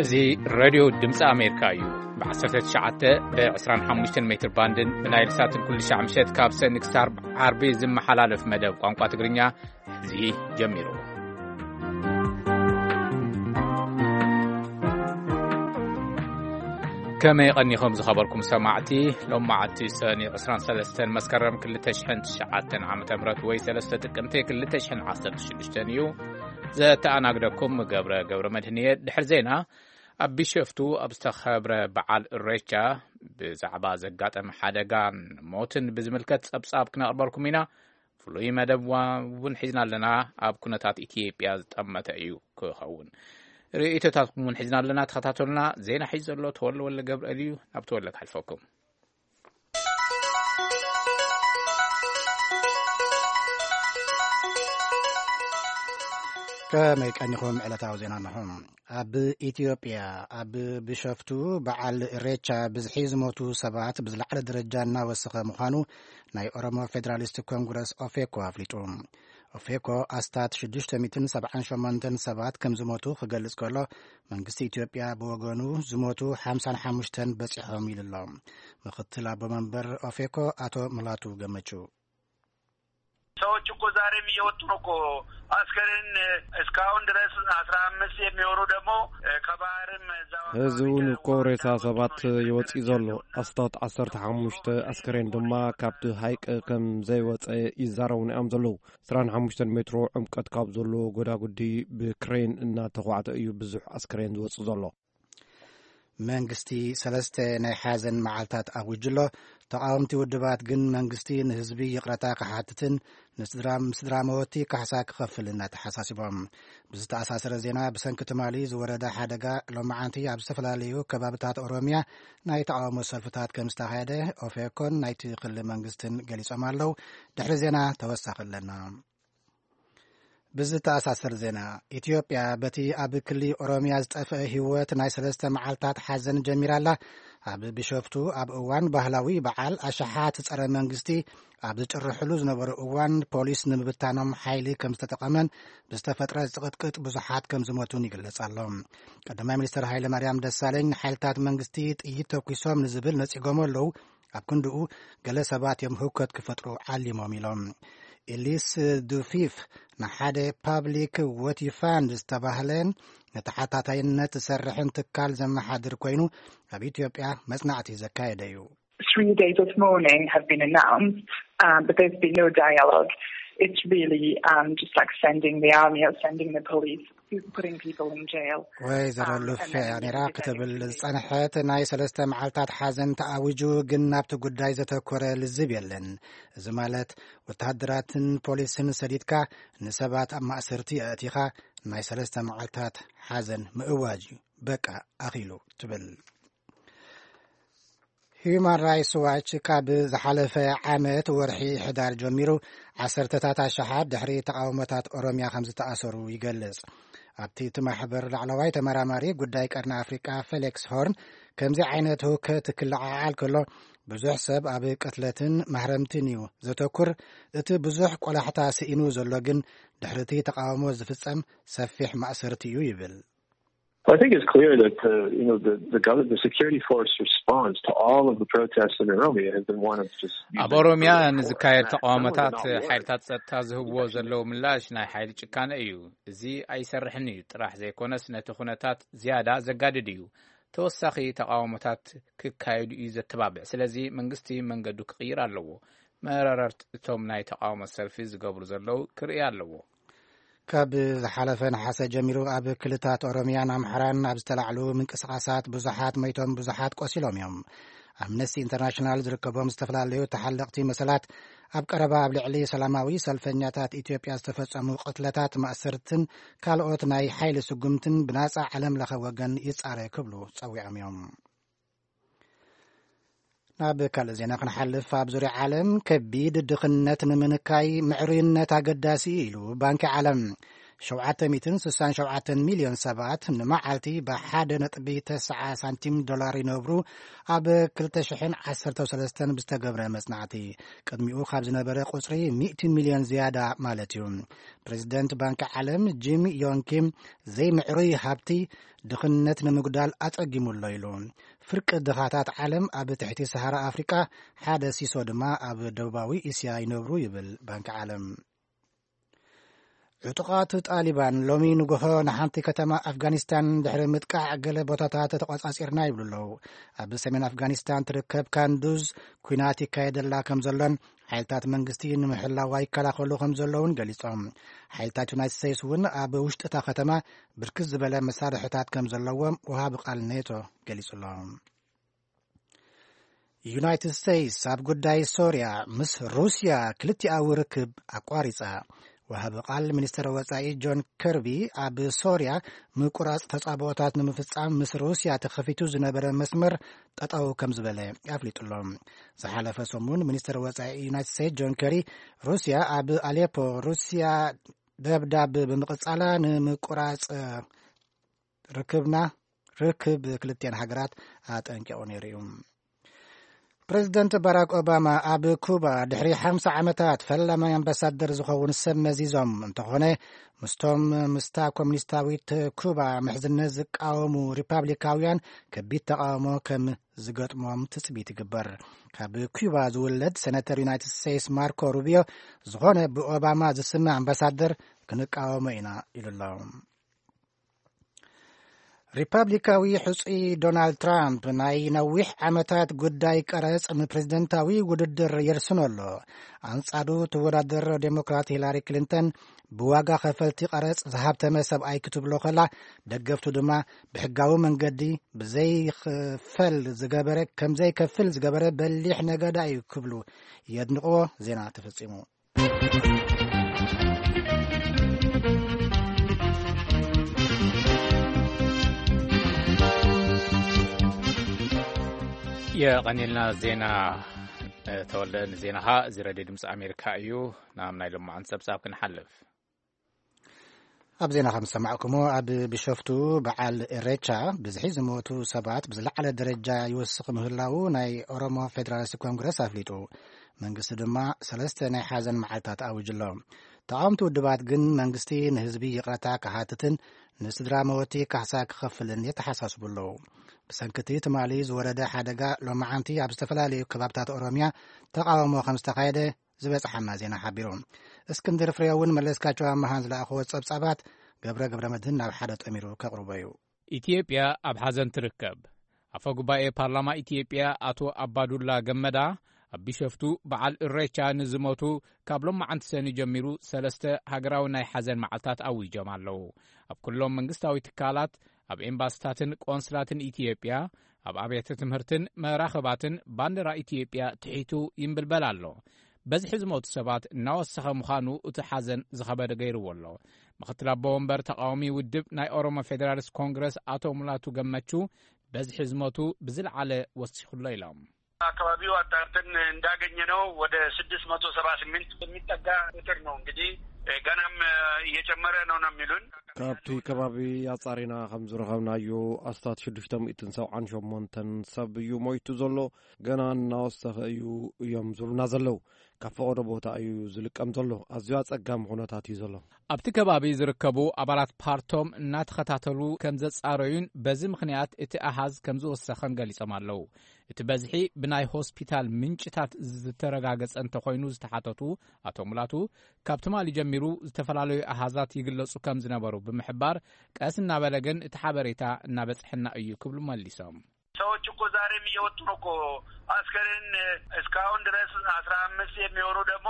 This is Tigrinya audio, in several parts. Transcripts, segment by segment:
እዚ ሬድዮ ድምፂ ኣሜሪካ እዩ። ብ19 ብ25 ሜትር ባንድን ብናይል ሳትን ኩሉ ሻዕ ምሸት ካብ ሰኒ ክሳብ ዓርቢ ዝመሓላለፍ መደብ ቋንቋ ትግርኛ ሕዚ ጀሚሩ። ከመይ ቀኒኹም ዝኸበርኩም ሰማዕቲ? ሎም መዓልቲ ሰኒ 23 መስከረም 2009 ዓ.ም ወይ 3 ጥቅምቲ 2016 እዩ። ዘተኣናግደኩም ገብረ ገብረ መድህን እየ። ድሕሪ ዜና ኣብ ቢሸፍቱ ኣብ ዝተኸብረ በዓል እሬቻ ብዛዕባ ዘጋጠመ ሓደጋን ሞትን ብዝምልከት ጸብጻብ ክነቕርበልኩም ኢና። ፍሉይ መደብ ዋ-፣ እውን ሒዝና ኣለና። ኣብ ኩነታት ኢትዮጵያ ዝጠመተ እዩ ክኸውን። ርእይቶታትኩም እውን ሒዝና ኣለና። ተኸታተሉና። ዜና ሒዙ ዘሎ ተወለ ወለ ገብርኤል እዩ። ናብ ተወለ ክሓልፈኩም። ከመይ ቀኒኹም? ዕለታዊ ዜና ኣለኹም። ኣብ ኢትዮጵያ፣ ኣብ ቢሾፍቱ በዓል ኢሬቻ ብዝሒ ዝሞቱ ሰባት ብዝለዓለ ደረጃ እናወሰኸ ምዃኑ ናይ ኦሮሞ ፌዴራሊስት ኮንግረስ ኦፌኮ ኣፍሊጡ። ኦፌኮ ኣስታት 678 ሰባት ከም ዝሞቱ ክገልጽ ከሎ፣ መንግስቲ ኢትዮጵያ ብወገኑ ዝሞቱ 55 በጺሖም ኢሉ ኣሎ። ምክትል ኣቦ መንበር ኦፌኮ ኣቶ ሙላቱ ገመቹ። ሰዎች እኮ ዛሬም እየወጡ ነው እኮ። አስከሬን እስካሁን ድረስ 15 የሚሆኑ ደግሞ ከባህርም እዛው አካባቢ እዚ እውን እኮ ሬሳ ሰባት ይወፅእ ዘሎ። ኣስታት 15 ኣስከሬን ድማ ካብቲ ሃይቅ ከም ዘይወፀ ይዛረቡና እዮም ዘለዉ። 25 ሜትሮ ዕምቀት ካብ ዘሎ ጎዳጉዲ ብክሬን እናተኳዕተ እዩ ብዙሕ ኣስከሬን ዝወፅእ ዘሎ። መንግስቲ ሰለስተ ናይ ሓዘን መዓልታት ኣዊጁ ኣሎ። ተቓወምቲ ውድባት ግን መንግስቲ ንህዝቢ ይቕረታ ክሓትትን ንስድራ፣ ስድራ መወቲ ካሕሳ ክኸፍል እናተሓሳሲቦም። ብዝተኣሳሰረ ዜና፣ ብሰንኪ ትማሊ ዝወረደ ሓደጋ ሎማዓንቲ ኣብ ዝተፈላለዩ ከባብታት ኦሮሚያ ናይ ተቓውሞ ሰልፍታት ከም ዝተኻየደ ኦፌኮን ናይቲ ክልል መንግስትን ገሊጾም ኣለዉ። ድሕሪ ዜና ተወሳኺ ኣለና። ብዝተኣሳሰር ዜና፣ ኢትዮጵያ በቲ ኣብ ክሊ ኦሮሚያ ዝጠፍአ ህይወት ናይ ሰለስተ መዓልታት ሓዘን ጀሚራላ። ኣብ ቢሾፍቱ ኣብ እዋን ባህላዊ በዓል ኣሸሓት ጸረ መንግስቲ ኣብ ዝጭርሕሉ ዝነበሩ እዋን፣ ፖሊስ ንምብታኖም ሓይሊ ከም ዝተጠቐመን ብዝተፈጥረ ዝቕጥቅጥ ብዙሓት ከም ዝሞቱን ይግለጽ ኣሎ። ቀዳማይ ሚኒስትር ሃይለ ማርያም ደሳለኝ፣ ንሓይልታት መንግስቲ ጥይት ተኩሶም ንዝብል ነጺጎም ኣለዉ። ኣብ ክንድኡ፣ ገለ ሰባት እዮም ህውከት ክፈጥሩ ዓሊሞም ኢሎም። ኤሊስ ዱፊፍ ንሓደ ፓብሊክ ወቲ ፋንድ ዝተባህለን ንተሓታታይነት ዝሰርሕን ትካል ዘመሓድር ኮይኑ፣ ኣብ ኢትዮጵያ መጽናዕቲ ዘካየደ እዩ። Three days of mourning have been announced, um, but there's been no dialogue. It's really, um, just like sending the army or sending the police, putting people in jail. ወይዘሮ ሉፌ ኔራ ክትብል ዝጸንሐት፣ ናይ ሰለስተ መዓልታት ሓዘን ተኣዊጁ፣ ግን ናብቲ ጉዳይ ዘተኮረ ልዝብ የለን። እዚ ማለት፣ ወተሃደራትን ፖሊስን ሰዲድካ ንሰባት ኣብ ማእሰርቲ ኣእቲኻ ናይ ሰለስተ መዓልታት ሓዘን ምእዋጅ እዩ። በቃ፣ ኣኺሉ ትብል። ሂዩማን ራይትስ ዋች ካብ ዝሓለፈ ዓመት ወርሒ ሕዳር ጀሚሩ ዓሰርተታት ኣሽሓት ድሕሪ ተቓውሞታት ኦሮሚያ ከም ዝተኣሰሩ ይገልጽ። ኣብቲ እቲ ማሕበር ላዕለዋይ ተመራማሪ ጉዳይ ቀርኒ ኣፍሪቃ ፌሊክስ ሆርን፣ ከምዚ ዓይነት ህውከት ክለዓዓል ከሎ ብዙሕ ሰብ ኣብ ቅትለትን ማህረምትን እዩ ዘተኩር። እቲ ብዙሕ ቆላሕታ ስኢኑ ዘሎ ግን ድሕሪ እቲ ተቓውሞ ዝፍጸም ሰፊሕ ማእሰርቲ እዩ ይብል። I think it's clear that the, you know, the, the government, the security force response to all of the protests in Oromia has been one of just ኣብ ኦሮሚያ ንዝካየድ ተቃውሞታት ሓይልታት ጸጥታ ዝህብዎ ዘለዉ ምላሽ ናይ ሓይሊ ጭካነ እዩ። እዚ ኣይሰርሕን እዩ ጥራሕ ዘይኮነስ፣ ነቲ ኩነታት ዝያዳ ዘጋድድ እዩ። ተወሳኺ ተቃውሞታት ክካየዱ እዩ ዘተባብዕ። ስለዚ መንግስቲ መንገዱ ክቕይር ኣለዎ። መረረርቲ እቶም ናይ ተቃውሞ ሰልፊ ዝገብሩ ዘለዉ ክርኢ ኣለዎ። ካብ ዝሓለፈ ነሓሰ ጀሚሩ ኣብ ክልታት ኦሮሚያን ኣምሓራን ኣብ ዝተላዕሉ ምንቅስቓሳት ብዙሓት መይቶም፣ ብዙሓት ቆሲሎም እዮም። ኣምነስቲ ኢንተርናሽናል ዝርከቦም ዝተፈላለዩ ተሓለቕቲ መሰላት ኣብ ቀረባ ኣብ ልዕሊ ሰላማዊ ሰልፈኛታት ኢትዮጵያ ዝተፈጸሙ ቅትለታት፣ ማእሰርትን ካልኦት ናይ ሓይሊ ስጉምትን ብናጻ ዓለም ለኸ ወገን ይጻረ ክብሉ ጸዊዖም እዮም። ናብ ካልእ ዜና ክንሓልፍ፣ ኣብ ዙርያ ዓለም ከቢድ ድኽነት ንምንካይ ምዕሩይነት ኣገዳሲ እዩ ኢሉ ባንኪ ዓለም። ሸውዓተ ሚእትን ስሳን ሸውዓተን ሚልዮን ሰባት ንመዓልቲ ብሓደ ነጥቢ ተስዓ ሳንቲም ዶላር ይነብሩ፣ ኣብ ክልተ ሽሕን ዓሰርተ ሰለስተን ብዝተገብረ መጽናዕቲ። ቅድሚኡ ካብ ዝነበረ ቁጽሪ ሚእቲ ሚልዮን ዝያዳ ማለት እዩ። ፕሬዚደንት ባንኪ ዓለም ጂም ዮንግ ኪም፣ ዘይምዕሩይ ሃብቲ ድኽነት ንምጉዳል ኣጸጊሙ ኣሎ ኢሉ። ፍርቂ ድኻታት ዓለም ኣብ ትሕቲ ሰሃራ ኣፍሪቃ፣ ሓደ ሲሶ ድማ ኣብ ደቡባዊ እስያ ይነብሩ ይብል ባንኪ ዓለም። ዕጡቓት ጣሊባን ሎሚ ንጎሆ ንሓንቲ ከተማ ኣፍጋኒስታን ድሕሪ ምጥቃዕ፣ ገለ ቦታታት ተቖጻጺርና ይብሉ ኣለዉ። ኣብ ሰሜን ኣፍጋኒስታን ትርከብ ካንዱዝ ኲናት ይካየደላ ከም ዘሎን ሓይልታት መንግስቲ ንምሕላዋ ይከላኸሉ ከም ዘለውን ገሊጾም። ሓይልታት ዩናይትድ ስቴትስ እውን ኣብ ውሽጢ እታ ከተማ ብርክት ዝበለ መሳርሕታት ከም ዘለዎም ወሃቢ ቃል ኔቶ ገሊጹ ኣሎ። ዩናይትድ ስቴትስ ኣብ ጉዳይ ሶርያ ምስ ሩስያ ክልቲኣዊ ርክብ ኣቋሪጻ። ወሃቢ ቃል ሚኒስትር ወጻኢ ጆን ከርቢ፣ ኣብ ሶርያ ምቁራጽ ተጻብኦታት ንምፍጻም ምስ ሩስያ ተኸፊቱ ዝነበረ መስመር ጠጠው ከም ዝበለ ኣፍሊጡ ኣሎ። ዝሓለፈ ሰሙን ሚኒስትር ወጻኢ ዩናይትድ ስቴትስ ጆን ከሪ፣ ሩስያ ኣብ ኣሌፖ ሩስያ ደብዳብ ብምቕጻላ ንምቁራጽ ርክብና ርክብ ክልቲኣን ሃገራት ኣጠንቂቑ ነይሩ እዩ። ፕሬዚደንት ባራክ ኦባማ ኣብ ኩባ ድሕሪ ሓምሳ ዓመታት ፈላማይ ኣምባሳደር ዝኸውን ሰብ መዚዞም። እንተኾነ፣ ምስቶም ምስታ ኮሙኒስታዊት ኩባ ምሕዝነት ዝቃወሙ ሪፓብሊካውያን ከቢድ ተቃውሞ ከም ዝገጥሞም ትጽቢት ይግበር። ካብ ኩባ ዝውለድ ሴነተር ዩናይትድ ስቴትስ ማርኮ ሩቢዮ፣ ዝኾነ ብኦባማ ዝስመ ኣምባሳደር ክንቃወሞ ኢና ኢሉ ኣሎ። ሪፓብሊካዊ ሕጹይ ዶናልድ ትራምፕ ናይ ነዊሕ ዓመታት ጉዳይ ቀረጽ ንፕሬዝደንታዊ ውድድር የርስኖ ኣሎ። ኣንጻሩ ትወዳደር ዴሞክራት ሂላሪ ክሊንተን፣ ብዋጋ ከፈልቲ ቀረጽ ዝሃብተመ ሰብኣይ ክትብሎ ከላ፣ ደገፍቱ ድማ ብሕጋዊ መንገዲ ብዘይክፈል ዝገበረ፣ ከም ዘይከፍል ዝገበረ በሊሕ ነጋዳ እዩ ክብሉ የድንቕዎ። ዜና ተፈጺሙ። የቐኒልና ዜና፣ ተወልደ፣ ንዜናኻ። እዚ ሬድዮ ድምፂ ኣሜሪካ እዩ። ናብ ናይ ሎማዓንቲ ጸብጻብ ክንሓልፍ። ኣብ ዜና ከም ዝሰማዕኩሞ፣ ኣብ ቢሾፍቱ በዓል ኢሬቻ ብዝሒ ዝሞቱ ሰባት ብዝለዓለ ደረጃ ይወስኽ ምህላዉ ናይ ኦሮሞ ፌደራሊስት ኮንግረስ ኣፍሊጡ። መንግስቲ ድማ ሰለስተ ናይ ሓዘን መዓልታት ኣዊጁ ኣሎ። ተቓወምቲ ውድባት ግን መንግስቲ ንህዝቢ ይቕረታ ክሓትትን ንስድራ መወቲ ካሕሳ ክኸፍልን የተሓሳስቡ ኣለዉ። ብሰንኪ እቲ ትማሊ ዝወረደ ሓደጋ፣ ሎማዓንቲ ኣብ ዝተፈላለዩ ከባብታት ኦሮምያ ተቓውሞ ከም ዝተኻየደ ዝበጽሓና ዜና ሓቢሩ። እስክንድር ፍሬው እውን መለስካቸው ኣመሃን ዝለኣኽዎ ጸብጻባት ገብረ ገብረ መድህን ናብ ሓደ ጠሚሩ ከቕርቦ እዩ። ኢትዮጵያ ኣብ ሓዘን ትርከብ። ኣፈ ጉባኤ ፓርላማ ኢትዮጵያ ኣቶ ኣባዱላ ገመዳ፣ ኣብ ቢሸፍቱ በዓል እሬቻ ንዝሞቱ ካብ ሎማዓንቲ ሰኒ ጀሚሩ ሰለስተ ሃገራዊ ናይ ሓዘን መዓልታት ኣዊጆም ኣለዉ። ኣብ ኩሎም መንግስታዊ ትካላት፣ ኣብ ኤምባስታትን ቆንስላትን ኢትዮጵያ፣ ኣብ ኣብያተ ትምህርትን መራኽባትን ባንዲራ ኢትዮጵያ ትሒቱ ይንብልበል ኣሎ። በዝሒ ዝሞቱ ሰባት እናወሰኸ ምዃኑ እቲ ሓዘን ዝኸበደ ገይርዎ ኣሎ። ምኽትል ኣቦ ወንበር ተቃዋሚ ውድብ ናይ ኦሮሞ ፌዴራሊስት ኮንግረስ ኣቶ ሙላቱ ገመቹ፣ በዝሒ ዝሞቱ ብዝለዓለ ወሲኹ ኣሎ ኢሎም። አካባቢው አጣርተን እንዳገኘነው ወደ ስድስት መቶ ሰባ ስምንት የሚጠጋ ቁጥር ነው። እንግዲህ ገናም እየጨመረ ነው ነው የሚሉን። ካብቲ ከባቢ ኣጻሪና ከም ዝረኸብናዮ፣ ኣስታት ሽዱሽተ ሚእትን ሰብዓን ሸሞንተን ሰብ እዩ ሞይቱ ዘሎ። ገና እናወሰኸ እዩ እዮም ዝብሉና ዘለዉ። ካብ ፈቐዶ ቦታ እዩ ዝልቀም ዘሎ። ኣዝዩ ኣጸጋሚ ኩነታት እዩ ዘሎ። ኣብቲ ከባቢ ዝርከቡ ኣባላት ፓርቶም እናተኸታተሉ ከም ዘጻረዩን በዚ ምኽንያት እቲ ኣሃዝ ከም ዝወሰኸን ገሊጾም ኣለዉ። እቲ በዝሒ ብናይ ሆስፒታል ምንጭታት ዝተረጋገጸ እንተኾይኑ ዝተሓተቱ ኣቶ ሙላቱ፣ ካብ ትማሊ ጀሚሩ ዝተፈላለዩ ኣሃዛት ይግለጹ ከም ዝነበሩ ብምሕባር፣ ቀስ እናበለ ግን እቲ ሓበሬታ እናበጽሐና እዩ ክብሉ መሊሶም። ሰዎች እኮ ዛሬም እየወጡ ነው እኮ። አስከሬን እስካሁን ድረስ አስራ አምስት የሚሆኑ ደግሞ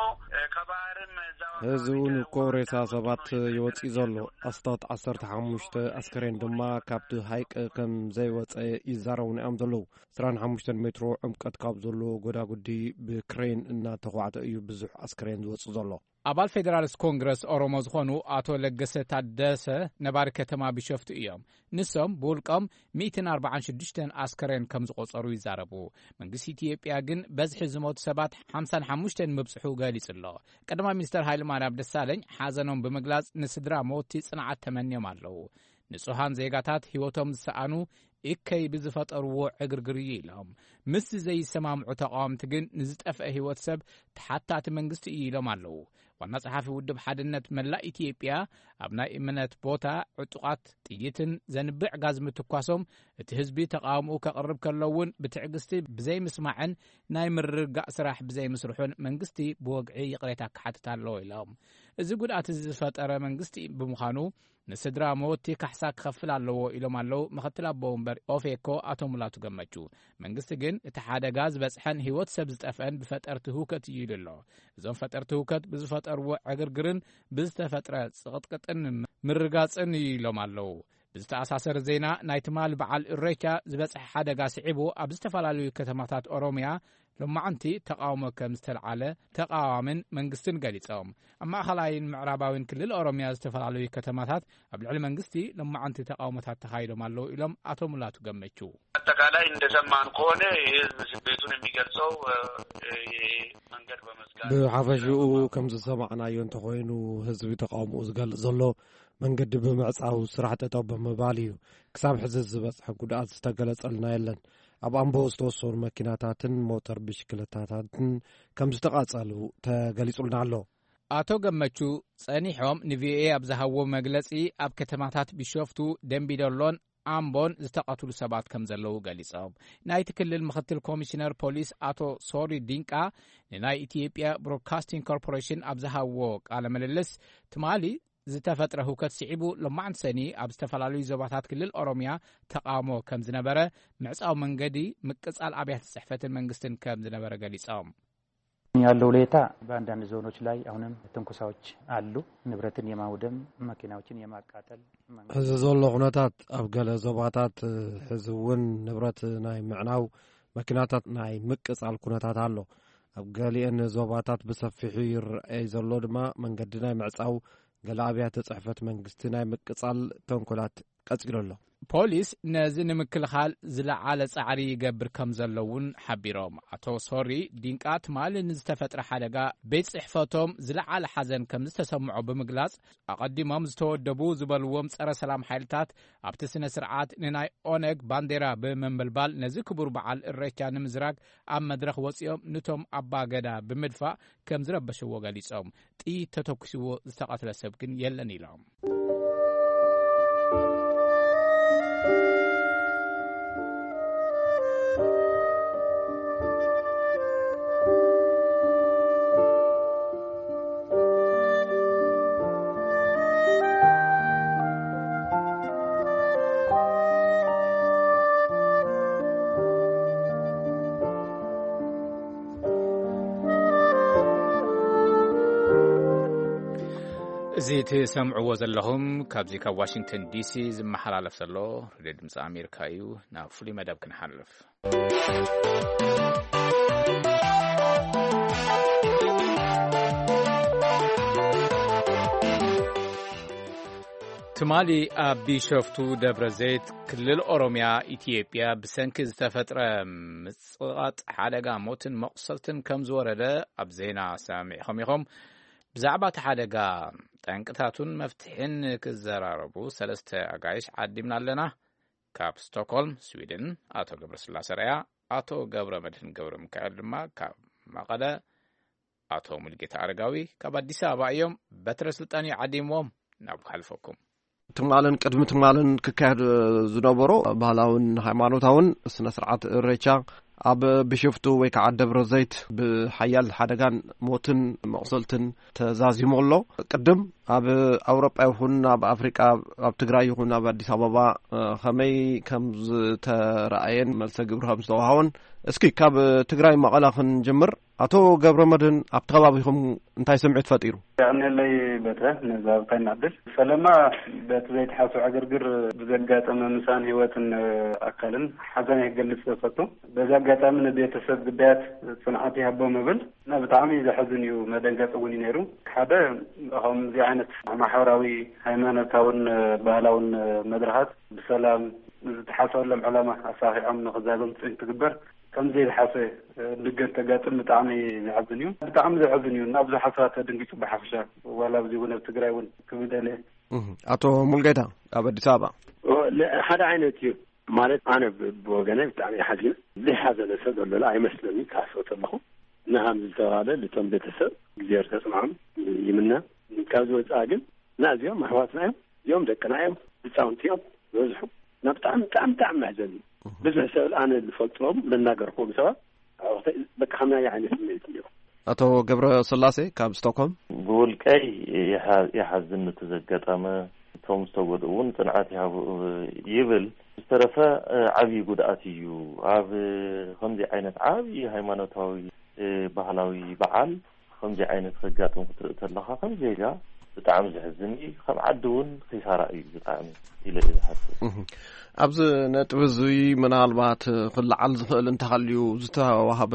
ከባህርም እዛው አካባቢ ህዝቡን እኮ ሬሳ ሰባት ይወጽእ ዘሎ። ኣስታት ዓሰርተ ሓሙሽተ ኣስከሬን ድማ ካብቲ ሃይቅ ከም ዘይወጸ ይዛረቡና እዮም ዘለዉ። ዕስራን ሓሙሽተን ሜትሮ ዕምቀት ካብ ዘሎ ጎዳጉዲ ብክሬን እናተኳዕተ እዩ ብዙሕ ኣስከሬን ዝወጽእ ዘሎ። ኣባል ፌደራልስ ኮንግረስ ኦሮሞ ዝኾኑ ኣቶ ለገሰ ታደሰ ነባሪ ከተማ ቢሾፍቱ እዮም። ንሶም ብውልቆም ሚእትን ኣርባዓን ሽዱሽተን ኣስከሬን ከም ዝቖጸሩ ይዛረቡ። መንግስቲ ኢትዮጵያ ግን በዝሒ ዝሞቱ ሰባት ሓምሳን ሓሙሽተን ምብጽሑ ገሊጹ ኣሎ። ቀዳማይ ሚኒስተር ሃይለማርያም ደሳለኝ ሓዘኖም ብምግላጽ ንስድራ መወቲ ጽንዓት ተመንዮም ኣለዉ። ንጹሃን ዜጋታት ህይወቶም ዝሰኣኑ እከይ ብዝፈጠርዎ ዕግርግር እዩ ኢሎም። ምስዚ ዘይሰማምዑ ተቃወምቲ ግን ንዝጠፍአ ህይወት ሰብ ተሓታቲ መንግስቲ እዩ ኢሎም ኣለዉ። ዋና ጸሓፊ ውድብ ሓድነት መላእ ኢትዮጵያ ኣብ ናይ እምነት ቦታ ዕጡቓት ጥይትን ዘንብዕ ጋዝ ምትኳሶም እቲ ህዝቢ ተቃውምኡ ከቕርብ ከሎ እውን ብትዕግስቲ ብዘይምስማዕን ናይ ምርግጋእ ስራሕ ብዘይምስርሑን መንግስቲ ብወግዒ ይቕሬታ ክሓትት ኣለዎ ኢሎም። እዚ ጉድኣት እዚ ዝፈጠረ መንግስቲ ብምዃኑ ንስድራ መወቲ ካሕሳ ክኸፍል ኣለዎ ኢሎም ኣለዉ ምኽትል ኣቦ ወንበር ኦፌኮ ኣቶ ሙላቱ ገመቹ። መንግስቲ ግን እቲ ሓደጋ ዝበጽሐን ህይወት ሰብ ዝጠፍአን ብፈጠርቲ ህውከት እዩ ኢሉ ኣሎ። እዞም ፈጠርቲ ህውከት ብዝፈጠርዎ ዕግርግርን ብዝተፈጥረ ጽቕጥቅጥን ምርጋጽን እዩ ኢሎም ኣለዉ። ብዝተኣሳሰር ዜና ናይ ትማሊ በዓል እሬቻ ዝበጽሐ ሓደጋ ስዒቡ ኣብ ዝተፈላለዩ ከተማታት ኦሮምያ ሎማዓንቲ ተቃውሞ ከም ዝተልዓለ ተቃዋምን መንግስትን ገሊጾም። ኣብ ማእኸላይን ምዕራባዊን ክልል ኦሮምያ ዝተፈላለዩ ከተማታት ኣብ ልዕሊ መንግስቲ ሎማዓንቲ ተቃውሞታት ተኻይዶም ኣለዉ ኢሎም ኣቶ ሙላቱ ገመቹ። አጠቃላይ እንደሰማን ከሆነ የህዝብ ስሜቱን የሚገልጸው መንገድ በመዝጋት ብሓፈሽኡ ከም ዝሰማዕናዮ እንተኾይኑ ህዝቢ ተቃውሞኡ ዝገልጽ ዘሎ መንገዲ ብምዕጻው ስራሕ ጠጠው ብምባል እዩ። ክሳብ ሕዚ ዝበጽሐ ጉድኣት ዝተገለጸልና የለን። ኣብ ኣምቦ ዝተወሰኑ መኪናታትን ሞተር ብሽክለታታትን ከም ዝተቓጸሉ ተገሊጹልና ኣሎ። ኣቶ ገመቹ ጸኒሖም ንቪኦኤ ኣብ ዝሃብዎ መግለጺ ኣብ ከተማታት ቢሾፍቱ፣ ደምቢዶሎን ኣምቦን ዝተቐትሉ ሰባት ከም ዘለዉ ገሊጾም። ናይቲ ክልል ምኽትል ኮሚሽነር ፖሊስ ኣቶ ሶሪ ዲንቃ ንናይ ኢትዮጵያ ብሮድካስቲንግ ኮርፖሬሽን ኣብ ዝሃብዎ ቃለ ምልልስ ትማሊ ዝተፈጥረ ህውከት ስዒቡ ሎማዕንቲ ሰኒ ኣብ ዝተፈላለዩ ዞባታት ክልል ኦሮምያ ተቃውሞ ከም ዝነበረ፣ ምዕጻው መንገዲ፣ ምቅጻል ኣብያተ ጽሕፈትን መንግስትን ከም ዝነበረ ገሊጾም። ያለው ሁኔታ በአንዳንድ ዞኖች ላይ አሁንም ትንኮሳዎች አሉ። ንብረትን የማውደም፣ መኪናዎችን የማቃጠል መንገድ እዚ ዘሎ ኩነታት ኣብ ገለ ዞባታት ሕዚ እውን ንብረት ናይ ምዕናው፣ መኪናታት ናይ ምቅጻል ኩነታት ኣሎ። ኣብ ገሊአን ዞባታት ብሰፊሑ ይረኣይ ዘሎ ድማ መንገዲ ናይ ምዕጻው፣ ገለ ኣብያተ ጽሕፈት መንግስቲ ናይ ምቅጻል ተንኮላት ቀጺሉ ኣሎ። ፖሊስ ነዚ ንምክልኻል ዝለዓለ ጻዕሪ ይገብር ከም ዘሎ እውን ሓቢሮም። ኣቶ ሶሪ ዲንቃ ትማሊ ንዝተፈጥረ ሓደጋ ቤት ጽሕፈቶም ዝለዓለ ሓዘን ከም ዝተሰምዖ ብምግላጽ፣ ኣቐዲሞም ዝተወደቡ ዝበልዎም ጸረ ሰላም ሓይልታት ኣብቲ ስነ ስርዓት ንናይ ኦነግ ባንዴራ ብምንብልባል ነዚ ክቡር በዓል እሬቻ ንምዝራግ ኣብ መድረኽ ወጺኦም ንቶም ኣባ ገዳ ብምድፋእ ከም ዝረበሽዎ ገሊጾም። ጥይት ተተኩስዎ ዝተቐትለ ሰብ ግን የለን ኢሎም። እዚ ትሰምዕዎ ዘለኹም ካብዚ ካብ ዋሽንግተን ዲሲ ዝመሓላለፍ ዘሎ ሬድዮ ድምፂ ኣሜሪካ እዩ። ናብ ፍሉይ መደብ ክንሓልፍ። ትማሊ ኣብ ቢሾፍቱ ደብረ ዘይት ክልል ኦሮምያ ኢትዮጵያ ብሰንኪ ዝተፈጥረ ምጽቓጥ ሓደጋ ሞትን መቑሰልትን ከም ዝወረደ ኣብ ዜና ሰሚዕኹም ኢኹም። ብዛዕባ እቲ ሓደጋ ጠንቅታቱን መፍትሒን ክዘራረቡ ሰለስተ ኣጋይሽ ዓዲምና ኣለና። ካብ ስቶክሆልም ስዊድን ኣቶ ገብረስላሴ ረያ፣ ኣቶ ገብረ መድህን ገብረ ሚካኤል ድማ ካብ መቐለ፣ ኣቶ ሙልጌታ ኣረጋዊ ካብ ኣዲስ ኣበባ እዮም። በትረ ስልጣን እዩ ዓዲምዎም። ናብ ሓልፈኩም። ትማልን ቅድሚ ትማልን ክካየድ ዝነበሮ ባህላውን ሃይማኖታውን ስነ ስርዓት እሬቻ ኣብ ቢሾፍቱ ወይ ከዓ ደብረ ዘይት ብሓያል ሓደጋን ሞትን መቑሰልትን ተዛዚሙ ኣሎ። ቅድም ኣብ ኣውሮጳ ይኹን ኣብ ኣፍሪቃ፣ ኣብ ትግራይ ይኹን ኣብ ኣዲስ ኣበባ፣ እ፣ ከመይ ከም ዝተረኣየን መልሰ ግብሪ ከም ዝተዋሃቦን፣ እስኪ ካብ ትግራይ መቐለ ክንጅምር። ኣቶ ገብረ መድህን፣ ኣብቲ ከባቢኹም እንታይ ስምዒት ፈጢሩ? የቐንየለይ በትረ፣ ነዛ ብታይ ንዕድል። ፈለማ በቲ ዘይተሓስበ ዕግርግር ብዘጋጠመ ምሳን ህይወትን ኣካልን ሓዘን ክገልጽ እፈቱ። በዚ ኣጋጣሚ ንቤተሰብ ግዳያት ጽንዓት ይሃቦም እብል። እና ብጣዕሚ ዘሕዝን እዩ፣ መደንገጺ እውን እዩ ነይሩ። ሓደ ከምዚ ዓይነት ማሕበራዊ፣ ሃይማኖታውን ባህላውን መድረኻት ብሰላም ዝተሓሰበሎም ዕላማ ኣሳኺዖም ንኽዛዘም ጽን ትግበር። ከምዚ ዘይተሓሰበ ድገት ተጋጥም ብጣዕሚ ዘሕዝን እዩ። ብጣዕሚ ዘሕዝን እዩ። እና ብዙሓት ሰባት ተደንጊጹ ብሓፈሻ፣ ዋላ ኣብዚ እውን ኣብ ትግራይ እውን ክብል ደልየ። እህ፣ ኣቶ ሙልጌታ ኣብ ኣዲስ ኣበባ። ኦ፣ ለ-፣ ሓደ ዓይነት እዩ። ማለት ኣነ ብ-፣ ብወገነ ብጣዕሚ ሓዚነ። ዘይሓዘነ ሰብ ዘሎ ኣይመስለኒ ክሓስቦ ከለኹ። እና ከምዚ ዝተባለ ልቶም ቤተሰብ እግዚኣብሔር ከጽንዖም ይምነ። ካብዚ ወጻኢ ግን እና እዚኦም ኣሕዋትና እዮም፣ እዚኦም ደቅና እዮም፣ ህፃውንቲ እዮም ዝበዝሑ። እና ብጣዕሚ፣ ብጣዕሚ፣ ብጣዕሚ መሕዘኒ እዩ። ብዙሕ ሰብ ኣነ ዝፈልጦም ለናገርኩም ሰባት ኣብኡ በቃ ከምናይ ዓይነት ስምዒት እዮም። ኣቶ ገብረ ስላሴ ካብ ስቶክሆልም። ብውልቀይ ይሓ-፣ ይሓዝን እቲ ዘጋጠመ። እቶም ዝተጎድኡ እውን ጽንዓት ይሃቡ ይብል። ዝተረፈ፣ እ፣ ዓብዪ ጉድኣት እዩ። ኣብ ከምዚ ዓይነት ዓብዪ ሃይማኖታዊ፣ እ፣ ባህላዊ በዓል ከምዚ ዓይነት ከጋጥም ክትርኢ ተለኻ፣ ከም ዜጋ ብጣዕሚ ዘሕዝን እዩ። ከም ዓዲ እውን ኺሳራ እዩ ብጣዕሚ ኢለ እየ ዝሓስብ። እህ። ኣብዚ ነጥቢ እዚ ምናልባት ክለዓል ዝኽእል እንተሃልዩ፣ ዝተዋህበ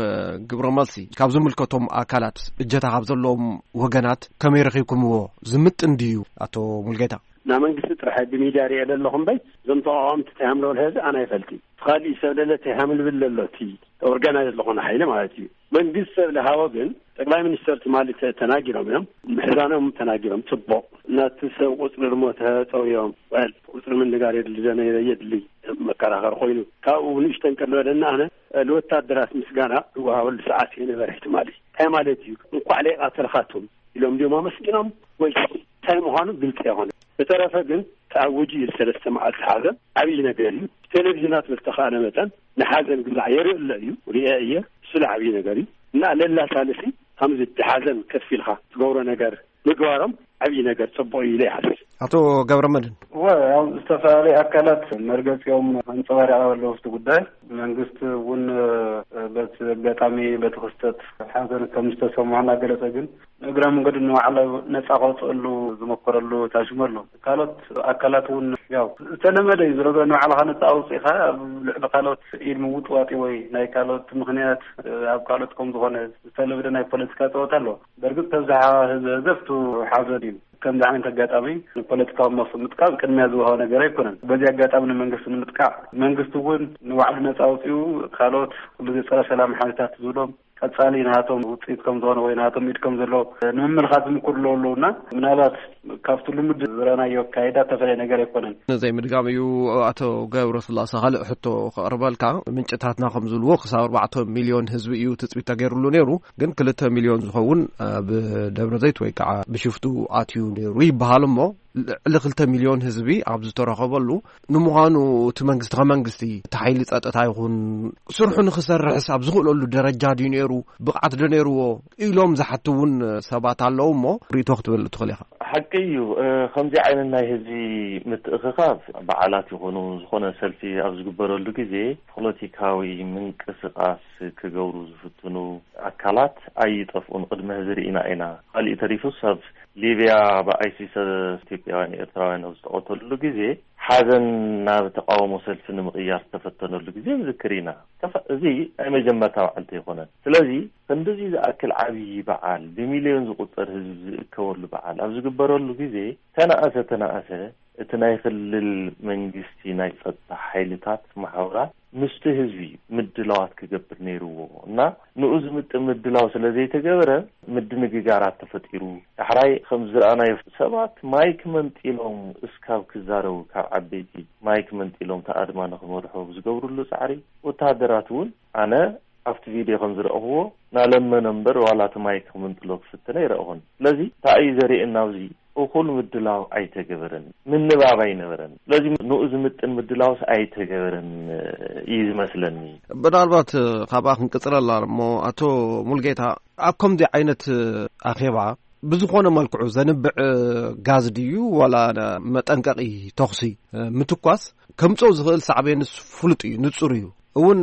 ግብረ መልሲ ካብ ዝምልከቶም ኣካላት፣ እጀታ ካብ ዘለዎም ወገናት ከመይ ረኺብኩምዎ? ዝምጥን ድዩ? ኣቶ ሙልጌታ። ናብ መንግስቲ ጥራሕ ብሚድያ ሪኤ ዘለኹ እምበይ፣ እዞም ተቃወምቲ እንታይ ሃምለወል ህዝቢ ኣነ ኣይፈልጥን። እቲ ካሊእ ሰብ ለለ እንታይ ሃምልብል ዘሎ፣ እቲ ኦርጋናይዝ ዝኾነ ሓይሊ ማለት እዩ። መንግስቲ ሰብ ለሃቦ ግን፣ ጠቅላይ ሚኒስተር ትማሊ ተ-፣ ተናጊሮም እዮም። ምሕዛኖም ተናጊሮም፣ ጽቡቕ። እናቲ ሰብ ቁጽሪ ድሞ ተጸውዮም፣ ወል፣ ቁጽሪ ምንጋር የድሊ ዘነ የድሊ መከራኸሪ ኮይኑ። ካብኡ ንእሽተን ቀሎ ለና ኣነ፣ ንወታደራት ምስጋና ዝወሃበሉ ሰዓት እዩ ነበረ ትማሊ። እንታይ ማለት እዩ? እንኳዕ ለይቃተልኻቶም ኢሎም ድዮም ኣመስጊኖም ወይ እንታይ ምዃኑ ግልጺ ኣይኮነ። ብተረፈ ግን ተኣዊጁ እዩ ሰለስተ መዓልቲ ሓዘን። ዓብዪ ነገር እዩ። ብቴሌቪዥናት ብዝተኻእለ መጠን ንሓዘን ግዛዕ የርኢ ኣሎ እዩ፣ ሪአ እየ። እሱ ዓብዪ ነገር እዩ። እና ለላ ሳልሲ ከምዚ እቲ ሓዘን ከፍ ኢልካ ትገብሮ ነገር ምግባሮም ዓብዪ ነገር ጽቡቕ እዩ ኢለ ይሓስብ። ኣቶ ገብረ መድህን። እወ፣ ያው ዝተፈላለዩ ኣካላት መርገጺኦም ኣንጸባሪቖም ኣለዉ ኣብቲ ጉዳይ። መንግስቲ እውን፣ እ፣ በቲ ኣጋጣሚ፣ በቲ ክስተት ሓዘን ከም ዝተሰምዖ እናገለጸ፣ ግን ንእግረ መንገዱ ንባዕሉ ነጻ ከውጽአሉ ዝመከረሉ ታሽሙ ኣሎ። ካልኦት ኣካላት እውን ያው ዝተለመደ እዩ። ዝረገ ንባዕልኻ ነጻ ኣውጺእኻ ኣብ ልዕሊ ካልኦት ኢድ ምውጥዋጥ ወይ ናይ ካልኦት ምኽንያት፣ እ፣ ኣብ ካልኦት ከም ዝኾነ ዝተለመደ ናይ ፖለቲካ ጸወታ ኣሎ። በርግጥ ተብዝሓ ህዝቢ ህዘፍቱ ሓዘን እዩ። ከምዚ ዓይነት ኣጋጣሚ ንፖለቲካዊ መፍትሒ ምጥቃም ቅድሚያ ዝወሃቦ ነገር ኣይኮነን። በዚ ኣጋጣሚ ንመንግስቲ ንምጥቃዕ፣ መንግስቲ እውን ንባዕሉ ነጻ ኣውጺኡ፣ ካልኦት ኩሉ ጸረ ሰላም ሓይልታት ዝብሎም ቀጻሊ ናቶም ውጽኢት ከም ዝኾነ ወይ ናቶም ኢድ ከም ዘለዎ ንምምልኻት ዝምክሩ ኣለዉ ኣለዉና፣ ምናልባት ካብቲ ልሙድ ዝረኣናዮ ኣካይዳ ዝተፈለየ ነገር ኣይኮነን። ንዘይ ምድጋም እዩ። ኣቶ ገብረ ስላሴ፣ ካልእ ሕቶ ከቕርበልካ። ምንጭታትና ከም ዝብልዎ፣ ክሳብ ኣርባዕተ ሚልዮን ህዝቢ እዩ ትጽቢት ተገይሩሉ ነይሩ። ግን ክልተ ሚልዮን ዝኸውን ኣብ ደብረ ዘይት ወይ ከዓ ብሽፍቱ ኣትዩ ነይሩ ይበሃል እሞ፣ ልዕሊ ክልተ ሚልዮን ህዝቢ ኣብ ዝተረኸበሉ፣ ንምዃኑ እቲ መንግስቲ ከመንግስቲ፣ እቲ ሓይሊ ጸጥታ ይኹን፣ ስርሑ ንኽሰርሕስ ኣብ ዝኽእለሉ ደረጃ ድዩ ነይሩ? ብቕዓት ዶ ነይርዎ? ኢሎም ዝሓቱ እውን ሰባት ኣለዉ እሞ፣ ርእይቶ ክትብል ትኽእል ኢኻ። ሓቂ እዩ። እ፣ ከምዚ ዓይነት ናይ ህዝቢ ምትእኽኻብ፣ በዓላት ይኹኑ፣ ዝኾነ ሰልፊ ኣብ ዝግበረሉ ግዜ፣ ፖለቲካዊ ምንቅስቓስ ክገብሩ ዝፍትኑ ኣካላት ኣይጠፍኡን። ቅድሚ ሕዚ ርኢና ኢና። ካሊእ ተሪፉስ ኣብ ሊብያ ብኣይሲስ ኢትዮጵያውያን ኤርትራውያን ኣብ ዝተቐተሉሉ ግዜ፣ ሓዘን ናብ ተቃውሞ ሰልፊ ንምቕያር ዝተፈተነሉ ግዜ ንዝክር ኢና። ተፈ-፣ እዚ ናይ መጀመርታ መዓልቲ ኣይኮነን። ስለዚ ክንድዚ ዝኣክል ዓብዪ በዓል፣ ብሚልዮን ዝቑጸር ህዝቢ ዝእከበሉ በዓል ኣብ ዝግበረሉ ግዜ፣ ተነኣሰ ተነኣሰ፣ እቲ ናይ ክልል መንግስቲ ናይ ጸጥታ ሓይልታት፣ ማሕበራት ምስቲ ህዝቢ ምድላዋት ክገብር ነይርዎ እና ንኡ ዝምጥን ምድላው ስለ ዘይተገበረ፣ ምድንግጋራት ተፈጢሩ። ዳሕራይ ከም ዝረኣናዮ፣ ሰባት ማይክ መንጢሎም እስካብ ክዛረቡ፣ ካብ ዓበይቲ ማይክ መንጢሎም ተኣድማ ንኽመርሑ ዝገብርሉ ጻዕሪ፣ ወተሃደራት እውን፣ ኣነ ኣብቲ ቪድዮ ከም ዝረእኽዎ፣ ናለመነ እምበር ዋላ እቲ ማይክ ክምንጥሎ ክፍትነ ኣይረእኹን። ስለዚ እንታይ እዩ ዘርእየና ኣብዚ? እኹል ምድላው ኣይተገበረን፣ ምንባብ ኣይነበረን። ስለዚ ንኡ ዝምጥን ምድላውስ ኣይተገበረን እዩ ዝመስለኒ። ምናልባት ካብኣ ክንቅጽለላ እሞ፣ ኣቶ ሙልጌታ፣ ኣብ ከምዚ ዓይነት ኣኼባ ብዝኾነ መልክዑ ዘንብዕ ጋዝ ድዩ ዋላ መጠንቀቒ ተኹሲ ምትኳስ ከምፅኦ ዝኽእል ሳዕቤንስ ፍሉጥ እዩ፣ ንፁር እዩ። እውን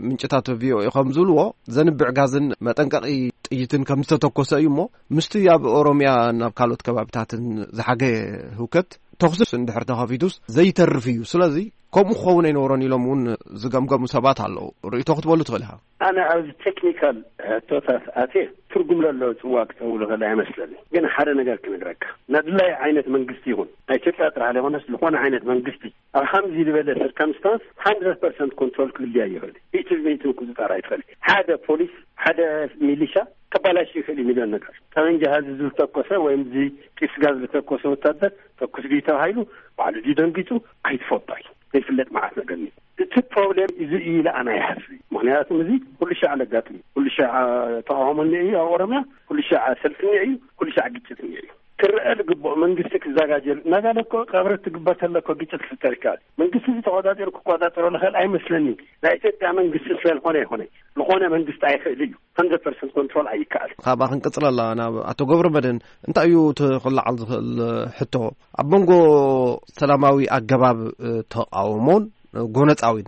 ምንጭታት ቪኦኤ ከም ዝብልዎ ዘንብዕ ጋዝን መጠንቀቒ ጥይትን ከም ዝተተኮሰ እዩ እሞ ምስቲ ኣብ ኦሮምያ ናብ ካልኦት ከባቢታትን ዝሓገየ ህውከት ተኹስስ እንድሕር ተኸፊቱስ ዘይተርፍ እዩ። ስለዚ ከምኡ ክኸውን ኣይነበሮን ኢሎም እውን ዝገምገሙ ሰባት ኣለዉ። ርእይቶ ክትበሉ ትኽእል ኢኻ። ኣነ ኣብዚ ቴክኒካል ሕቶታት ኣትየ ትርጉም ለለዎ ፅዋ ክፀውሉ ከላ ኣይመስለኒ። ግን ሓደ ነገር ክነግረካ፣ ነድላይ ዓይነት መንግስቲ ይኹን ናይ ኢትዮጵያ ጥራሕ ዘይኮነስ ዝኾነ ዓይነት መንግስቲ ኣብ ከምዚ ዝበለ ሰርከምስታንስ ሃንድረድ ፐርሰንት ኮንትሮል ክልያ ይኽእል። ሚእቲ ብሚእቲ ምቁፅፃር ኣይትኽእል። ሓደ ፖሊስ ሓደ ሚሊሻ ከባላሽ ይኽእል እዩ። ሚሊዮን ነገር ጠመንጃ ህዝቢ ዝተኮሰ ወይም እዚ ጢስ ጋዝ ዝተኮሰ ወታደር ተኩስ ድዩ ተባሂሉ ባዕሉ ድዩ ደንጊፁ ኣይትፈልጦ እዩ። ዘይፍለጥ መዓት ነገር እዩ። እቲ ፕሮብሌም እዚ እዩ ኢለ ኣነ ይሓስብ። ምክንያቱም እዚ ኩሉ ሻዕ ለጋጥም እዩ። ኩሉ ሻዕ ተቃውሞ እኒኦ እዩ ኣብ ኦሮምያ፣ ኩሉ ሻዕ ሰልፊ እኒኦ እዩ፣ ኩሉ ሻዕ ግጭት እኒኦ እዩ። ክረአ ዝግብኦ መንግስቲ ክዘጋጀሉ እናጋለ እኮ ቀብሪ ትግበር ተለኮ ግጭት ክፍጠር ይከኣል። መንግስቲ እዚ ተቆጻጺሩ ክቆጻጸሮ ንኽእል ኣይመስለኒ። ናይ ኢትዮጵያ መንግስቲ ስለዝኾነ ይኾነ ዝኾነ መንግስቲ ኣይኽእል እዩ። ሃንድረድ ፐርሰንት ኮንትሮል ኣይከኣል። ካብኣ ክንቅጽለላ ናብ ኣቶ ገብረ መድህን እንታይ እዩ እቲ ክለዓል ዝኽእል ሕቶ? ኣብ መንጎ ሰላማዊ ኣገባብ ተቃውሞን ጎነጻዊን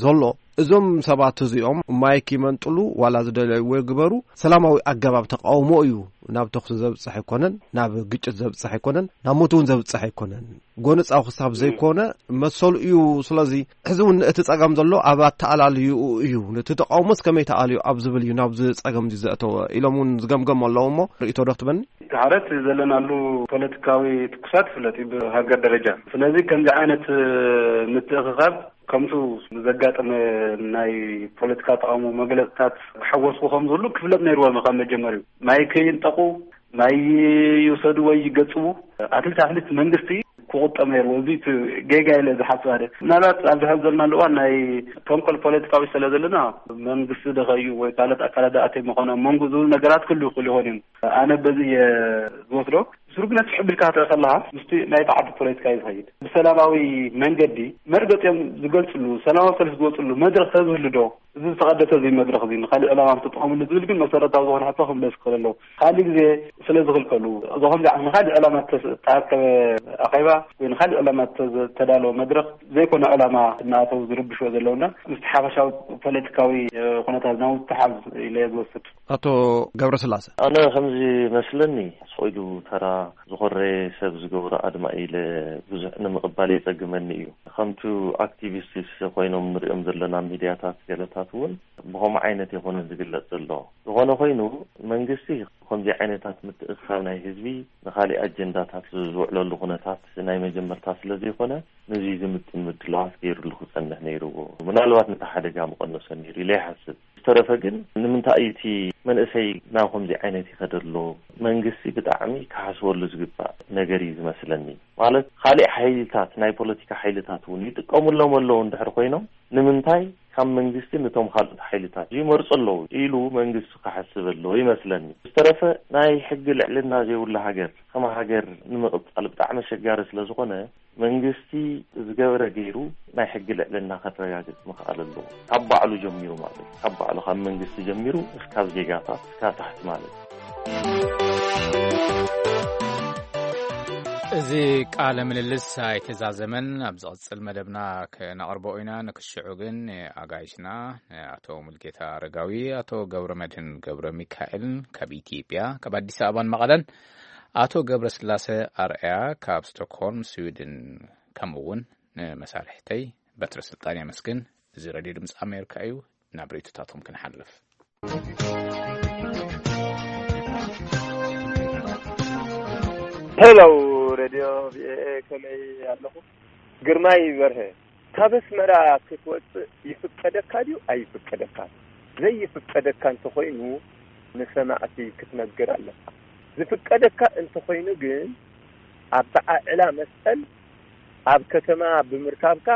ዘሎ እዞም ሰባት እዚኦም ማይክ ይመንጥሉ ዋላ ዝደለይዎ ይግበሩ ሰላማዊ ኣገባብ ተቃውሞ እዩ። ናብ ተኹሲ ዘብጽሕ ኣይኮነን፣ ናብ ግጭት ዘብጽሕ ኣይኮነን፣ ናብ ሞት እውን ዘብጽሕ ኣይኮነን። ጎነጻዊ ክሳብ ዘይኮነ መሰሉ እዩ። ስለዚ ሕዚ እውን እቲ ጸገም ዘሎ ኣብ ኣተኣላልይኡ እዩ። ነቲ ተቃውሞስ ከመይ ተኣልዩ ኣብ ዝብል እዩ ናብዚ ጸገም እዚ ዘእተወ ኢሎም እውን ዝገምገሙ ኣለዉ። እሞ ርእይቶ ዶ ክትበኒ? እቲ ሓረት ዘለናሉ ፖለቲካዊ ትኩሳት ይፍለጥ እዩ ብሃገር ደረጃ። ስለዚ ከምዚ ዓይነት ምትእኽኻብ ከምቱ ዘጋጠመ ናይ ፖለቲካ ተቃውሞ መግለፅታት ክሓወስኩ ከም ዝብሉ ክፍለጥ ነይርዎም ካብ መጀመሪኡ። ማይ ከይንጠቁ ማይ ይውሰዱ ወይ ይገጽቡ ኣትሊት ኣትሊት መንግስቲ ክቁጠብ ነይርዎ። እዚ እቲ ጌጋ ኢለ ዝሓስብ ኣደ ምናልባት ኣብዚ ሕዚ ዘለናሉ እዋን ናይ ተንኮል ፖለቲካዊ ስለ ዘለና መንግስቲ ደኸዩ ወይ ካልኦት ኣካላት ደኣተ መኾነ መንጎ ዝብሉ ነገራት ክሉ ይኽእሉ ይኾን እዮም። ኣነ በዚ እየ ዝወስዶ። ስሩግነት ሕብልካ ትርኢ ከለኻ ምስቲ ናይቲ ዓዲ ፖለቲካ እዩ ዝኸይድ። ብሰላማዊ መንገዲ መርገፂኦም ዝገልፅሉ ሰላማዊ ሰልፊ ዝወፅሉ መድረክ ተዝህሉ ዶ እዚ ዝተቐደሰ እዚ መድረክ እዚ ንካሊእ ዕላማ ምትጠቐምሉ ዝብል ግን መሰረታዊ ዝኾነ ሕቶ ክምለስ ክኽእል ኣለዎ። ካልእ ግዜ ስለ ዝኽልከሉ እዞ ከምዚ ዓይነት ንካሊእ ዕላማ ዝተኣከበ ኣኼባ ወይ ንካሊእ ዕላማ ዝተዳለወ መድረክ ዘይኮነ ዕላማ እናኣተው ዝርብሽዎ ዘለውና ምስቲ ሓፈሻዊ ፖለቲካዊ ኩነታት ናብ ምትሓዝ ኢለ ዝወስድ። ኣቶ ገብረስላሰ። ኣነ ከምዚ መስለኒ ስቕ ኢሉ ተራ ዝኾረ ሰብ ዝገብሮ ኣድማ ኢለ ብዙሕ ንምቕባል የጸግመኒ እዩ። ከምቱ ኣክቲቪስት ኮይኖም ንሪኦም ዘለና ሚድያታት ገለታት እውን ብኸምኡ ዓይነት የኾነ ዝግለጽ ዘሎ። ዝኾነ ኮይኑ መንግስቲ ከምዚ ዓይነታት ምትእኽኻብ ናይ ህዝቢ ንኻሊእ ኣጀንዳታት ዝውዕለሉ ኩነታት ናይ መጀመርታ ስለ ዘይኮነ ነዚ ዝምጥን ምድላዋት ገይሩሉ ክጸንሕ ነይርዎ። ምናልባት ነቲ ሓደጋ ምቐነሶ ነይሩ ኢለ ይሓስብ። ዝተረፈ ግን ንምንታይ እዩ እቲ መንእሰይ ናብ ከምዚ ዓይነት ይኸደ ኣሎ? መንግስቲ ብጣዕሚ ክሓስበሉ ዝግባእ ነገር እዩ ዝመስለኒ። ማለት ካሊእ ሓይልታት ናይ ፖለቲካ ሓይልታት እውን ይጥቀሙሎም ኣለዉ እንድሕር ኮይኖም ንምንታይ ካብ መንግስቲ ነቶም ካልኦት ሓይልታት ይመርፁ ኣለዉ ኢሉ መንግስቲ ክሓስብ ኣለዎ ይመስለኒ። ዝተረፈ ናይ ሕጊ ልዕልና ዘይብሉ ሃገር ከመ ሃገር ንምቕፃል ብጣዕሚ ኣሸጋሪ ስለ ዝኾነ መንግስቲ ዝገበረ ገይሩ ናይ ሕጊ ልዕልና ከረጋግፅ ምኽኣል ኣለዎ። ካብ ባዕሉ ጀሚሩ ማለት ካብ ባዕሉ ካብ መንግስቲ ጀሚሩ እስካብ ዜጋታት እስካብ ታሕቲ ማለት እዩ። እዚ ቃለ ምልልስ ኣይተዛዘመን። ኣብ ዝቕጽል መደብና ክነቕርቦ ኢና። ንክሽዑ ግን ኣጋይሽና ኣቶ ሙልጌታ ኣረጋዊ፣ ኣቶ ገብረ መድህን ገብረ ሚካኤልን ካብ ኢትዮጵያ ካብ ኣዲስ ኣበባን መቐለን ኣቶ ገብረስላሰ ኣርኣያ ካብ ስቶክሆልም ስዊድን፣ ከምኡ እውን ንመሳርሕተይ በትረ ስልጣን የመስግን። እዚ ሬድዮ ድምፂ ኣሜሪካ እዩ። ናብ ርእይቶታቶም ክንሓልፍ። ሄሎ ሬድዮ ቪኦኤ፣ ከመይ ኣለኹ? ግርማይ በርሀ። ካብ ኣስመራ ክትወፅእ ይፍቀደካ ድዩ ኣይፍቀደካ? ዘይፍቀደካ እንተኾይኑ ንሰማዕቲ ክትነግር ኣለካ። ዝፍቀደካ እንተኾይኑ ግን ኣበዓዕላ መስቀል ኣብ ከተማ ብምርካብካ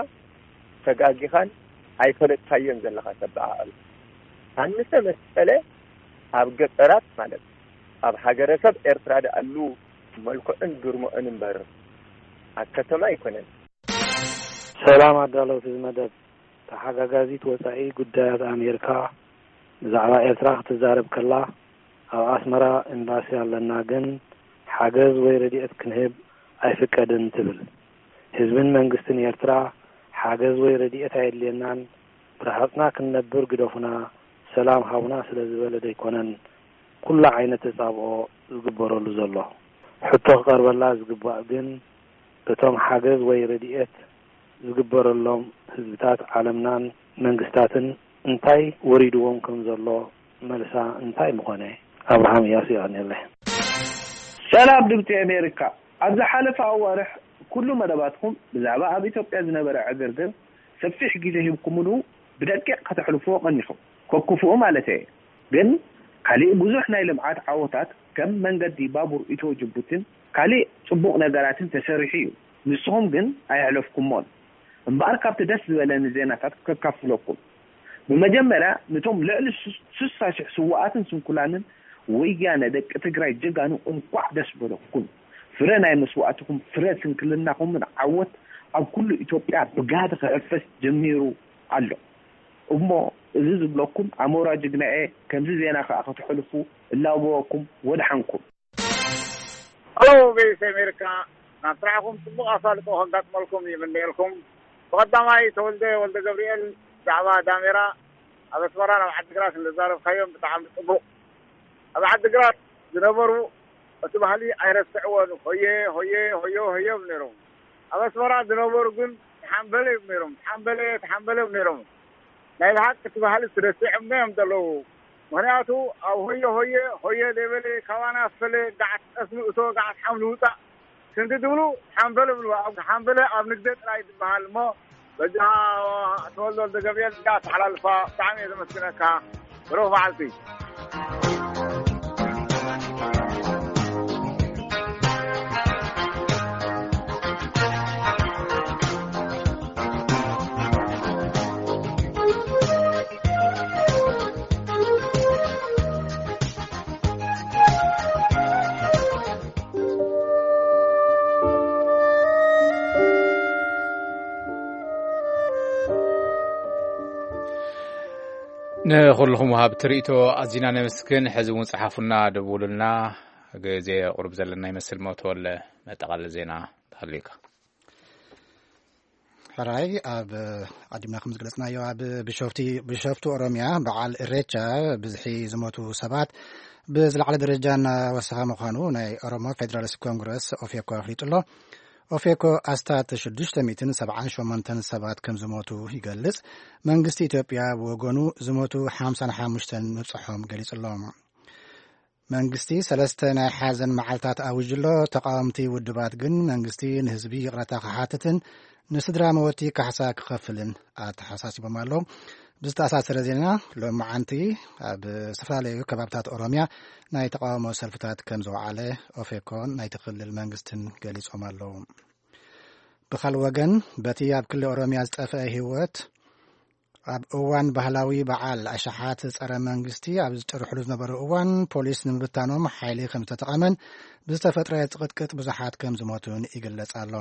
ተጋጊኻን ኣይፈለጥካዮን ዘለኻ ተበዓዕሉ። ኣንሰ መስቀለ ኣብ ገጠራት ማለት ኣብ ሃገረሰብ ኤርትራ ደኣሉ መልክዑን ግርምኡን እምበር ኣብ ከተማ ኣይኮነን። ሰላም ኣዳለውቲ እዚ መደብ። ተሓጋጋዚት ወጻኢ ጉዳያት ኣሜሪካ ብዛዕባ ኤርትራ ክትዛረብ ከላ ኣብ ኣስመራ ኤምባሲ ኣለና፣ ግን ሓገዝ ወይ ረድኤት ክንህብ ኣይፍቀድን ትብል። ህዝብን መንግስትን ኤርትራ ሓገዝ ወይ ረድኤት ኣየድልየናን፣ ብረሃጽና ክንነብር ግደፉና፣ ሰላም ሃቡና ስለ ዝበለ ደይኮነን ኩሉ ዓይነት ተጻብኦ ዝግበረሉ ዘሎ። ሕቶ ክቐርበላ ዝግባእ ግን፣ እቶም ሓገዝ ወይ ረድኤት ዝግበረሎም ህዝብታት ዓለምናን መንግስታትን እንታይ ወሪድዎም ከም ዘሎ መልሳ እንታይ ምኾነ? ኣብርሃም እያሱ የቐንየለይ። ሰላም ድምፂ ኣሜሪካ። ኣብ ዝሓለፈ ኣዋርሕ ኩሉ መደባትኩም ብዛዕባ ኣብ ኢትዮጵያ ዝነበረ ዕግርግር ሰፊሕ ግዜ ሂብኩምሉ ብደቂቕ ከተሕልፍዎ ቀኒኹም። ከክፉኡ ማለት እየ። ግን ካሊእ ብዙሕ ናይ ልምዓት ዓወታት ከም መንገዲ ባቡር ኢትዮ ጅቡቲን ካሊእ ፅቡቕ ነገራትን ተሰሪሑ እዩ። ንስኹም ግን ኣየሕለፍኩሞን። እምበኣር ካብቲ ደስ ዝበለኒ ዜናታት ከካፍለኩም። ብመጀመርያ ንቶም ልዕሊ ሱሳ ሽሕ ስውኣትን ስንኩላንን ወያነ ደቂ ትግራይ ጀጋኑ እንኳዕ ደስ በለኩም። ፍረ ናይ መስዋእትኹም ፍረ ስንክልናኹምን ዓወት ኣብ ኩሉ ኢትዮጵያ ብጋህዲ ክሕፈስ ጀሚሩ ኣሎ። እሞ እዚ ዝብለኩም ኣሞራ ጅግናኤ ከምዚ ዜና ከዓ ከተሕልፉ እላበወኩም። ወድሓንኩም። ሄሎ፣ ቬስ ኣሜሪካ፣ ናብ ስራሕኩም ጽቡቕ ኣሳልጦ ከጋጥመልኩም ይምነየልኩም። ብቐዳማይ ተወልደ ወልደ ገብርኤል፣ ብዛዕባ ዳሜራ ኣብ ኣስመራ ናብ ዓዲግራት ንዘዛረብካዮም ብጣዕሚ ጽቡቕ። ኣብ ዓዲግራት ዝነበሩ እቲ ባህሊ ኣይረስዕዎን። ሆየ ሆየ ሆዮ ሆዮ እዮም ነይሮም። ኣብ ኣስመራ ዝነበሩ ግን ተሓምበለ እዮም ነይሮም። ተሓምበለ ተሓምበለ እዮም ነይሮም። ናይ ብሓቂ እቲ ባህሊ ስደሲዖም እዮም ዘለዉ። ምኽንያቱ ኣብ ሆየ ሆየ ሆየ ደበለ ካባና ፈለ ጋዓት ጠስሚ እቶ ጋዓት ሓምሊ ውፃእ ክንዲ ድብሉ ሓምበለ ብልዋ። ኣብ ሓምበለ ኣብ ንግደ ጥራይ ዝበሃል እሞ በጃ ተወልዶ ወልደ ገብርኤል እያ ተሓላልፋ። ብጣዕሚ እየ ዘመስግነካ። ብሩኽ መዓልቲ። ንኹልኹም ወሃብቲ ርእይቶ ኣዚና ነመስግን። ሕዚ እውን ጸሓፉና፣ ደውሉልና። ግዜ ቁሩብ ዘለና ይመስል። ሞተወለ መጠቓለሊ ዜና ተሃልዩካ። ሕራይ ኣብ ዓዲምና ከም ዝገለጽናዮ፣ ኣብ ቢሾፍቲ፣ ቢሾፍቱ ኦሮምያ በዓል ኢሬቻ ብዝሒ ዝሞቱ ሰባት ብዝለዓለ ደረጃ እናወሰኸ ምዃኑ ናይ ኦሮሞ ፌደራሊስት ኮንግረስ ኦፌኮ ኣፍሊጡ ኣሎ። ኦፌኮ ኣስታት ሽዱሽተ ሚእትን ሰብዓን ሸሞንተን ሰባት ከም ዝሞቱ ይገልጽ። መንግስቲ ኢትዮጵያ ብወገኑ ዝሞቱ ሓምሳን ሓሙሽተን ምብጽሖም ገሊጹ ኣሎ። መንግስቲ ሰለስተ ናይ ሓዘን መዓልታት ኣዊጁ ኣሎ። ተቃወምቲ ውድባት ግን መንግስቲ ንህዝቢ ይቕረታ ክሓትትን ንስድራ መወቲ ካሕሳ ክኸፍልን ኣተሓሳሲቦም ኣለዉ። ብዝተኣሳሰረ ዜና፣ ሎማዓንቲ ኣብ ዝተፈላለዩ ከባብታት ኦሮምያ ናይ ተቃውሞ ሰልፍታት ከም ዝወዓለ ኦፌኮን ናይቲ ክልል መንግስትን ገሊጾም ኣለዉ። ብኻልእ ወገን፣ በቲ ኣብ ክልል ኦሮምያ ዝጠፍአ ህይወት ኣብ እዋን ባህላዊ በዓል ኣሽሓት ጸረ መንግስቲ ኣብ ዝጭርሕሉ ዝነበሩ እዋን፣ ፖሊስ ንምብታኖም ሓይሊ ከም ዝተጠቐመን ብዝተፈጥረ ጽቕጥቅጥ ብዙሓት ከም ዝሞቱን ይግለጽ ኣሎ።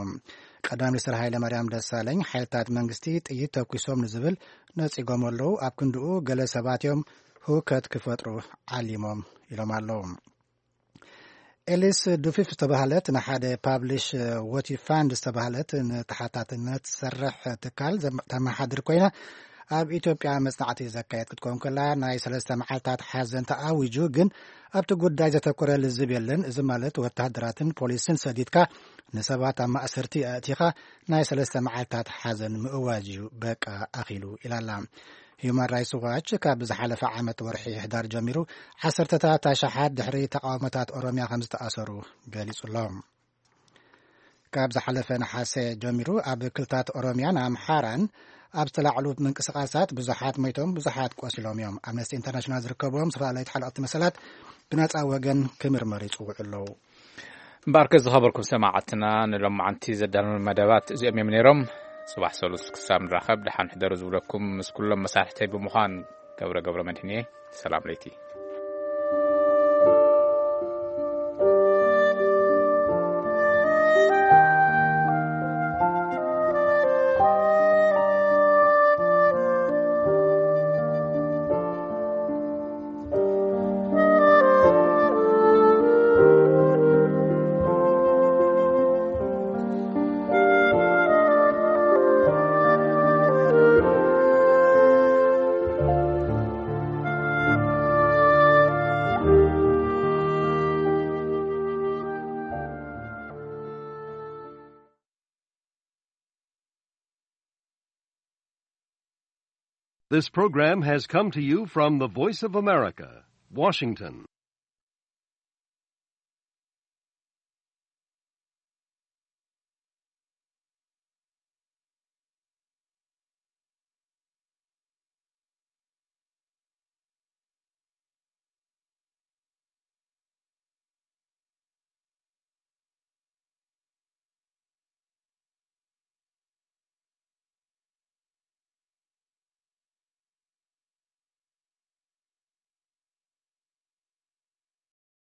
ቀዳማይ ሚኒስትር ሃይለ ማርያም ደሳለኝ፣ ሓይልታት መንግስቲ ጥይት ተኩሶም ንዝብል ነጺጎም ኣለዉ። ኣብ ክንድኡ፣ ገለ ሰባት እዮም ህውከት ክፈጥሩ ዓሊሞም ኢሎም ኣለዉ። ኤሊስ ዱፊፍ ዝተባህለት ንሓደ ፓብሊሽ ዎቲ ፋንድ ዝተባህለት ንተሓታትነት ትሰርሕ ትካል ዘም-፣ ተመሓድር ኮይና፣ ኣብ ኢትዮጵያ መጽናዕቲ ዘካየድ ክትከውን ከላ፣ ናይ ሰለስተ መዓልታት ሓዘን ተኣዊጁ፣ ግን ኣብቲ ጉዳይ ዘተኮረ ልዝብ የለን። እዚ ማለት ወተሃደራትን ፖሊስን ሰዲድካ ንሰባት ኣብ ማእሰርቲ ኣእቲኻ ናይ ሰለስተ መዓልታት ሓዘን ምእዋጅ እዩ፣ በቃ ኣኺሉ ኢላ ኣላ። ሂዩማን ራይትስ ዋች ካብ ዝሓለፈ ዓመት ወርሒ ሕዳር ጀሚሩ ዓሰርተታት ኣሽሓት ድሕሪ ተቃውሞታት ኦሮምያ ከም ዝተኣሰሩ ገሊጹ ኣሎ። ካብ ዝሓለፈ ነሓሰ ጀሚሩ ኣብ ክልታት ኦሮምያን ኣምሓራን ኣብ ዝተላዕሉ ምንቅስቃሳት ብዙሓት ሞይቶም፣ ብዙሓት ቆሲሎም እዮም። ኣምነስቲ ኢንተርናሽናል ዝርከብዎም ዝተፈላለዩ ተሓለቕቲ መሰላት ብነጻ ወገን ክምርመሩ ይጽውዑ ኣለዉ። እምበኣርከ ዝኸበርኩም ሰማዕትና፣ ንሎማዓንቲ ዘዳለኑ መደባት እዚኦም እዮም ነይሮም። ጽባሕ ሰሉስ ክሳብ ንራኸብ ደሓን ሕደሩ ዝብለኩም ምስ ኩሎም መሳርሕተይ ብምዃን ገብረ ገብረ መድህን እየ። ሰላም ለይቲ። This program has come to you from the Voice of America, Washington.